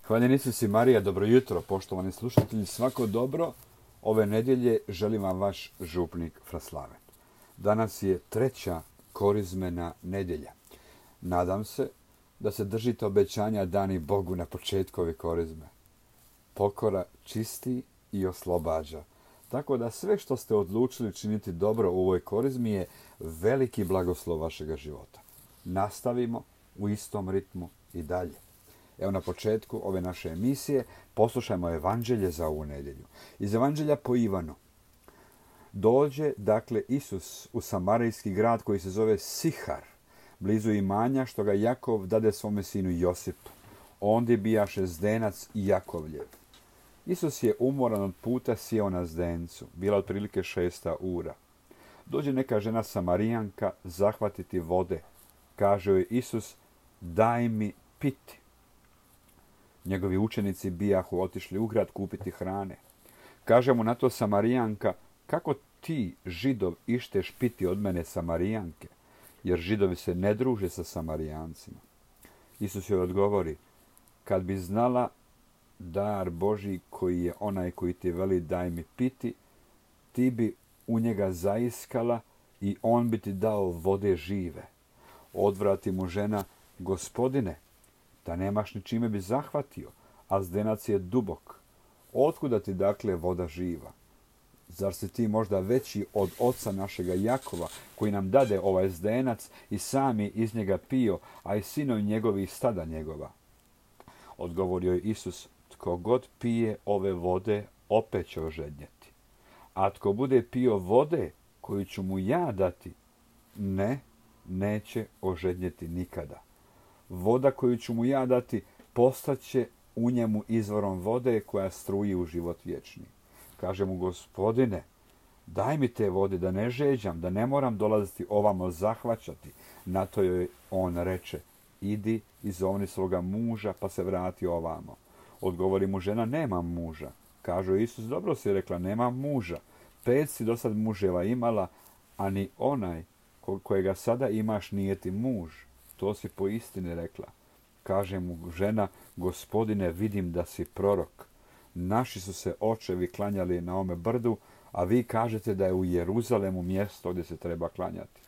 Hvaljen Isus i Marija, dobro jutro, poštovani slušatelji, svako dobro. Ove nedjelje želim vam vaš župnik Fraslaven. Danas je 3. korizmena nedjelja. Nadam se da se držite obećanja dani Bogu na početku ove korizme. Pokora čisti i oslobađa. Tako da sve što ste odlučili činiti dobro u ovoj korizmi je veliki blagoslov vašega života. Nastavimo u istom ritmu i dalje. Evo na početku ove naše emisije poslušajmo evanđelje za ovu nedjelju. Iz evanđelja po Ivanu. Dođe, dakle, Isus u samarijski grad koji se zove Sihar, blizu imanja što ga Jakov dade svome sinu Josipu. Ondje bijaše zdenac i Jakovljev. Isus je umoran od puta sjeo na zdencu. Bila otprilike 6 ura. Dođe neka žena Samarijanka zahvatiti vode. Kaže joj Isus, daj mi piti. Njegovi učenici bijahu otišli u grad kupiti hrane. Kaže mu na to Samarijanka, kako ti, Židov, išteš piti od mene Samarijanke, jer Židovi se ne druže sa Samarijancima. Isus joj odgovori, kad bi znala dar Božji koji je onaj koji ti veli daj mi piti, ti bi u njega zaiskala i on bi ti dao vode žive. Odvrati mu žena, Gospodine, da nemaš ni čime bi zahvatio, a zdenac je dubok. Otkuda ti dakle voda živa? Zar si ti možda veći od oca našega Jakova, koji nam dade ovaj zdenac i sami iz njega pio, a i sinovi njegovi i stada njegova? Odgovorio je Isus, tko god pije ove vode, opet će ožednjeti. A tko bude pio vode koju ću mu ja dati, neće ožednjeti nikada. Voda koju ću mu ja dati postaće u njemu izvorom vode koja struji u život vječni. Kaže mu, Gospodine, daj mi te vode da ne žeđam, da ne moram dolaziti ovamo zahvaćati. Na to joj on reče, idi izovni svoga muža pa se vrati ovamo. Odgovori mu žena, nemam muža. Kaže Isus, dobro si rekla, nemam muža. 5 si do sad muževa imala, a ni onaj kojega sada imaš nije ti muž. To si po istini rekla. Kaže mu žena, Gospodine, vidim da si prorok. Naši su se očevi klanjali na ome brdu, a vi kažete da je u Jeruzalemu mjesto gdje se treba klanjati.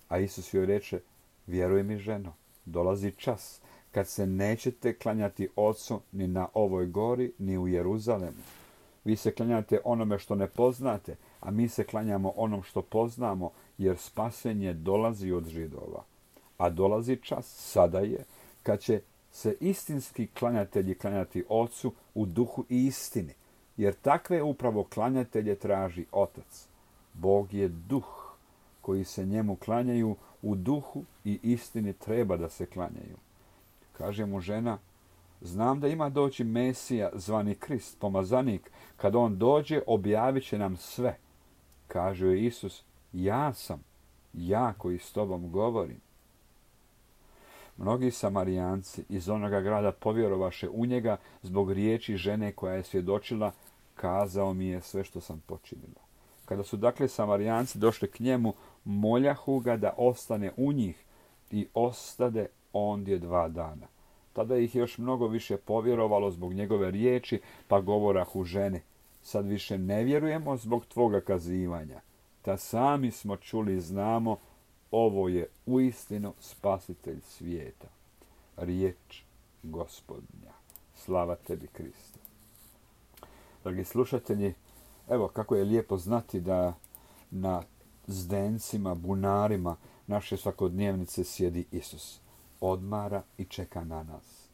A Isus joj reče, vjeruj mi ženo, dolazi čas kad se nećete klanjati Ocu ni na ovoj gori, ni u Jeruzalemu. Vi se klanjate onome što ne poznate, a mi se klanjamo onom što poznamo, jer spasenje dolazi od Židova. A dolazi čas, sada je, kad će se istinski klanjatelji klanjati Ocu u duhu i istini, jer takve upravo klanjatelje traži Otac. Bog je duh, koji se njemu klanjaju u duhu i istini treba da se klanjaju. Kaže mu žena, znam da ima doći Mesija zvani Krist, pomazanik, kad on dođe objavit će nam sve. Kaže joj Isus, ja sam, ja koji s tobom govorim. Mnogi Samarijanci iz onoga grada povjerovaše u njega zbog riječi žene koja je svjedočila, kazao mi je sve što sam počinila. Kada su dakle Samarijanci došli k njemu, moljahu ga da ostane u njih i ostade ondje 2 dana. Tada ih je još mnogo više povjerovalo zbog njegove riječi, pa govorahu ženi, sad više ne vjerujemo zbog tvoga kazivanja. Ta sami smo čuli i znamo, ovo je uistinu spasitelj svijeta. Riječ Gospodnja. Slava tebi, Kriste. Dragi slušatelji, evo kako je lijepo znati da na zdencima, bunarima naše svakodnevnice sjedi Isus. Odmara i čeka na nas.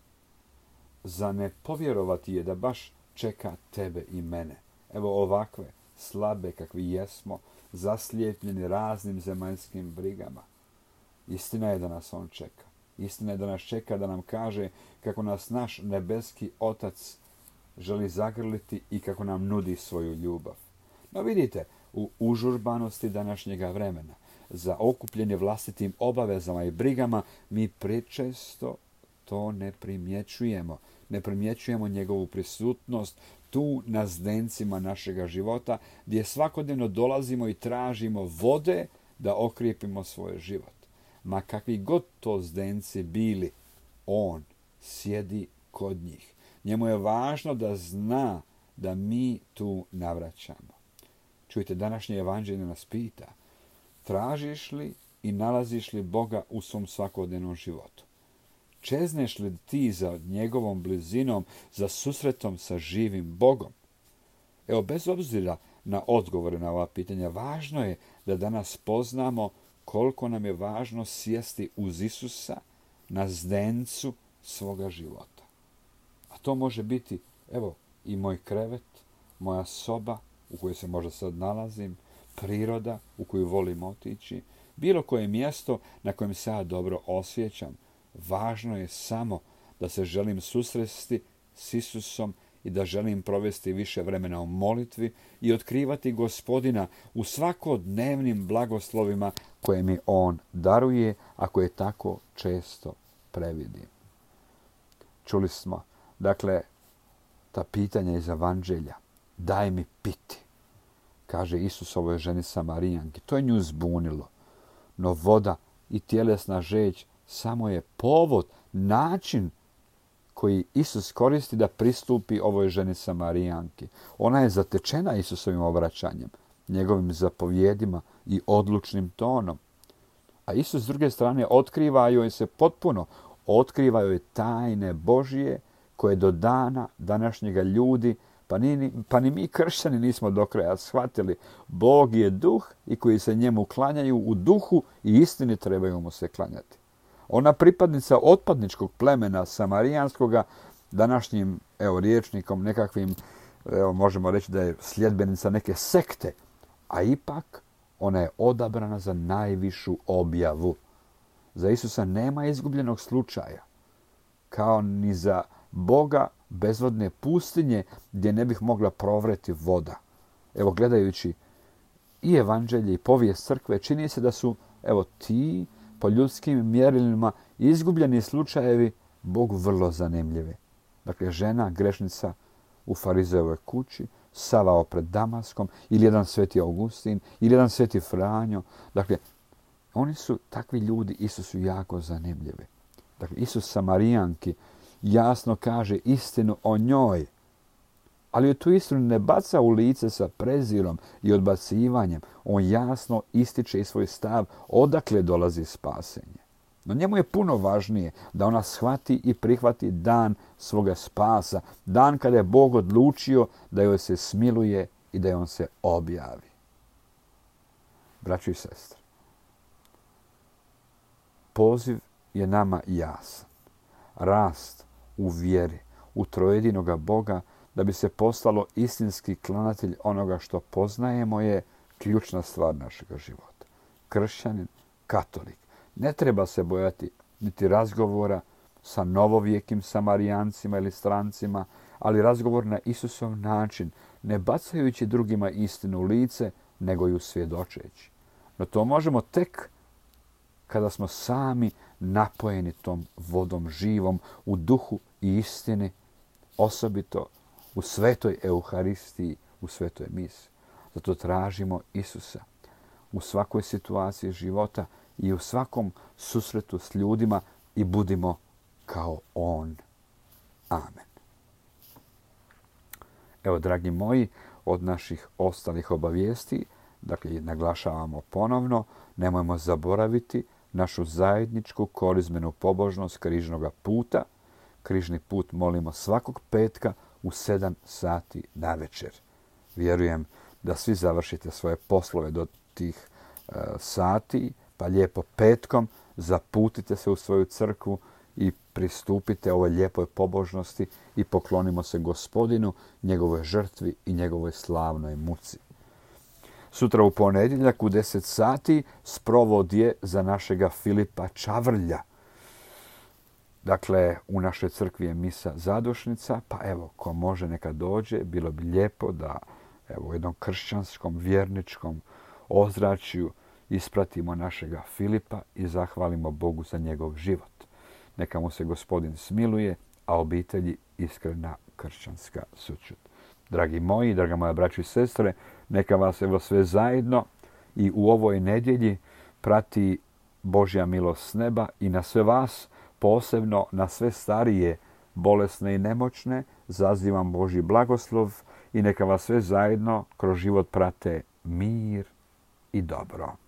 Za ne povjerovati je da baš čeka tebe i mene. Evo ovakve, slabe kakvi jesmo, zaslijepljeni raznim zemaljskim brigama. Istina je da nas on čeka. Istina je da nas čeka da nam kaže kako nas naš nebeski Otac želi zagrliti i kako nam nudi svoju ljubav. No vidite, u užurbanosti današnjega vremena, za okupljenje vlastitim obavezama i brigama, mi prečesto to ne primjećujemo. Ne primjećujemo njegovu prisutnost tu na zdencima našega života, gdje svakodnevno dolazimo i tražimo vode da okrijepimo svoj život. Ma kakvi god to zdenci bili, on sjedi kod njih. Njemu je važno da zna da mi tu navraćamo. Čujte, današnje evanđelje nas pita, tražiš li i nalaziš li Boga u svom svakodnevnom životu? Čezneš li ti za njegovom blizinom, za susretom sa živim Bogom? Evo, bez obzira na odgovore na ova pitanja, važno je da danas poznamo koliko nam je važno sjesti uz Isusa na zdencu svoga života. A to može biti, evo, i moj krevet, moja soba u kojoj se možda sad nalazim, priroda u koju volim otići, bilo koje mjesto na kojem se ja dobro osjećam. Važno je samo da se želim susresti s Isusom i da želim provesti više vremena u molitvi i otkrivati Gospodina u svakodnevnim blagoslovima koje mi On daruje, a koje tako često previdim. Čuli smo, dakle, ta pitanja iz Evanđelja. Daj mi piti, kaže Isus ovoj ženi Samarijanki. To je nju zbunilo. No voda i tjelesna žeđ samo je povod, način koji Isus koristi da pristupi ovoj ženi Samarijanki. Ona je zatečena Isusovim obraćanjem, njegovim zapovjedima i odlučnim tonom. A Isus s druge strane otkriva joj se potpuno, otkriva joj tajne Božije koje do dana današnjega ljudi, pa ni mi kršćani nismo do kraja shvatili. Bog je duh i koji se njemu klanjaju u duhu i istini trebaju mu se klanjati. Ona pripadnica otpadničkog plemena samarijanskoga, današnjim rječnikom nekakvim, možemo reći da je sljedbenica neke sekte, a ipak ona je odabrana za najvišu objavu. Za Isusa nema izgubljenog slučaja, kao ni za Boga bezvodne pustinje gdje ne bih mogla provreti voda. Evo, gledajući i evanđelje i povijest crkve, čini se da su ti po ljudskim mjerilima izgubljeni slučajevi Bogu vrlo zanimljivi. Dakle, žena, grešnica u farizejevoj kući, Savao pred Damaskom, ili jedan sveti Augustin, ili jedan sveti Franjo. Dakle, oni su, takvi ljudi, Isusu jako zanimljivi. Dakle, Isus Samarijanki jasno kaže istinu o njoj, ali je tu istinu ne baca u lice sa prezirom i odbacivanjem. On jasno ističe i svoj stav odakle dolazi spasenje. No njemu je puno važnije da ona shvati i prihvati dan svoga spasa, dan kada je Bog odlučio da joj se smiluje i da joj se objavi. Braćo i sestre, poziv je nama jasan. Rast u vjeri, u trojedinoga Boga, da bi se postalo istinski klanatelj onoga što poznajemo, je ključna stvar našega života. Kršćanin, katolik, ne treba se bojati niti razgovora sa novovjekim Samarijancima ili strancima, ali razgovor na Isusov način, ne bacajući drugima istinu u lice, nego ju svjedočeći. No to možemo tek kada smo sami napojeni tom vodom živom u duhu i istini, osobito u svetoj Euharistiji, u svetoj misi. Zato tražimo Isusa u svakoj situaciji života i u svakom susretu s ljudima i budimo kao On. Amen. Evo, dragi moji, od naših ostalih obavijesti, dakle, naglašavamo ponovno, nemojmo zaboraviti našu zajedničku korizmenu pobožnost križnoga puta. Križni put molimo svakog petka u 7 sati navečer. Vjerujem da svi završite svoje poslove do tih sati, pa lijepo petkom zaputite se u svoju crkvu i pristupite ovoj lijepoj pobožnosti i poklonimo se Gospodinu, njegovoj žrtvi i njegovoj slavnoj muci. Sutra u ponedjeljak u 10 sati sprovod je za našega Filipa Čavrlja. Dakle, u našoj crkvi je misa zadušnica, pa evo, ko može neka dođe, bilo bi lijepo da u jednom kršćanskom, vjerničkom ozračju ispratimo našega Filipa i zahvalimo Bogu za njegov život. Neka mu se Gospodin smiluje, a obitelji iskrena kršćanska sućut. Dragi moji, draga moja braćo i sestre, neka vas sve zajedno i u ovoj nedjelji prati Božja milost s neba i na sve vas, posebno na sve starije bolesne i nemoćne, zazivam Božji blagoslov i neka vas sve zajedno kroz život prate mir i dobro.